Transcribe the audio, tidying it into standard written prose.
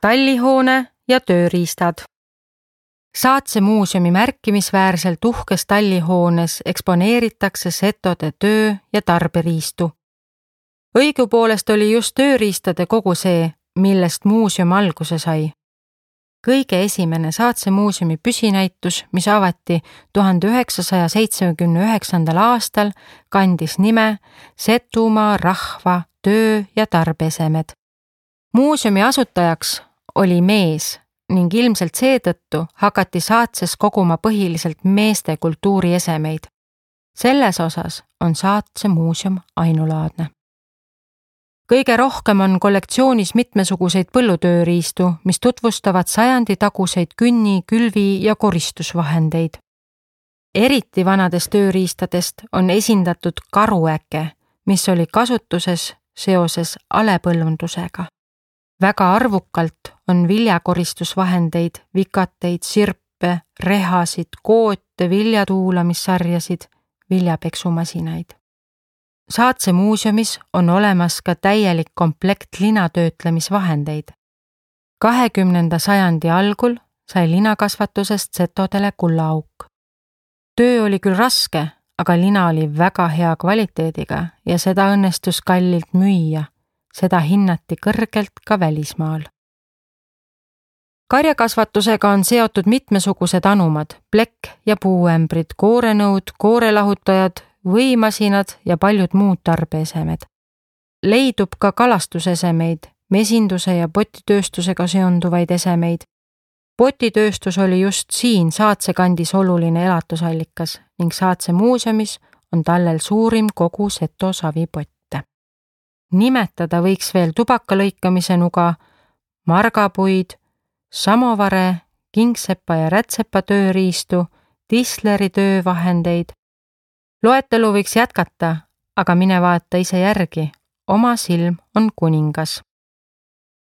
tallihoone ja tööriistad. Saatse muuseumi märkimisväärselt uhkes tallihoones eksponeeritakse setode töö- ja tarberiistu. Õigupoolest oli just tööriistade kogu see, millest muuseum alguse sai. Kõige esimene Saatse muuseumi püsinäitus, mis avati 1979. aastal, kandis nime Setumaa rahva töö- ja tarbeesemed. Muuseumi asutajaks oli mees ning ilmselt seetõttu hakati Saatses koguma põhiliselt meeste kultuuriesemeid. Selles osas on Saatse muuseum ainulaadne. Kõige rohkem on kollektsioonis mitmesuguseid põllutööriistu, mis tutvustavad sajanditaguseid künni-, külvi- ja koristusvahendeid. Eriti vanadest tööriistadest on esindatud karuäke, mis oli kasutuses seoses alepõllundusega. Väga arvukalt on viljakoristusvahendeid, vikateid, sirpe, rehasid, koote, viljatuulamissarjasid, viljapeksumasinaid. Saatse muuseumis on olemas ka täielik komplekt linatöötlemisvahendeid. 20. sajandi algul sai linakasvatusest setodele kullaauk. Töö oli küll raske, aga lina oli väga hea kvaliteediga ja seda õnnestus kallilt müüa. Seda hinnati kõrgelt ka välismaal. Karjakasvatusega on seotud mitmesugused anumad, plekk- ja puuämbrid, koorenõud, koorelahutajad, võimasinad ja paljud muud tarbeesemed. Leidub ka kalastusesemeid, mesinduse ja potitööstusega seonduvaid esemeid. Potitööstus oli just siin Saatse kandis oluline elatusallikas ning Saatse muuseumis on tallel suurim kogu seto savipotte. Nimetada võiks veel tubakalõikamise nuga, margapuid, samovare, kingsepa ja rätsepa tööriistu, tisleri töövahendeid. Loetelu võiks jätkata, aga mine vaata ise järgi, oma silm on kuningas.